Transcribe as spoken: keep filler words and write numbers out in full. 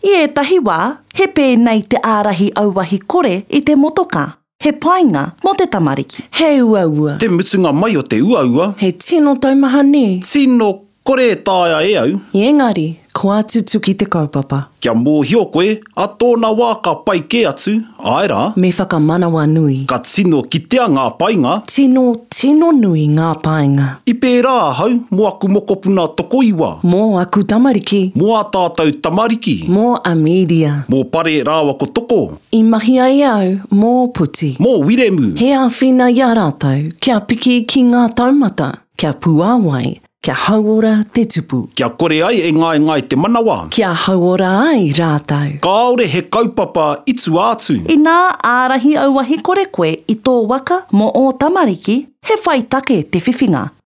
I ētahi wā, he pēnei te ārahi auahi kore i te motokā. He painga mō te tamariki. He uaua. Te mutunga mai o te uaua. He tino taumaha nē? Tino kore e taea e au. Engari, kua tutuki te kaupapa. Kia mōhio koe, a tōna wā ka pai kē atu, āe rā. Me whakamanawanui. Ka tino kitea ngā painga. Tino, tino nui ngā painga. I pērā ahau mō aku mokopuna tokoiwa. Mō aku tamariki. Mō ā tātou tamariki. Mō Amelia. Mō Pare rāua ko Toko. I mahi ai au mō Puti. Mō Wiremu. He āwhina i a rātou kia piki ki ngā taumata, kia puāwai, kia hauora te tupu. Kia kore ai e ngaengae te manawa. Kia hauora ai rātou. Kāore he kaupapa i tua atu. Inā ārahi auahi kore koe i tō waka mō ō tamariki, he whai take te whiwhinga.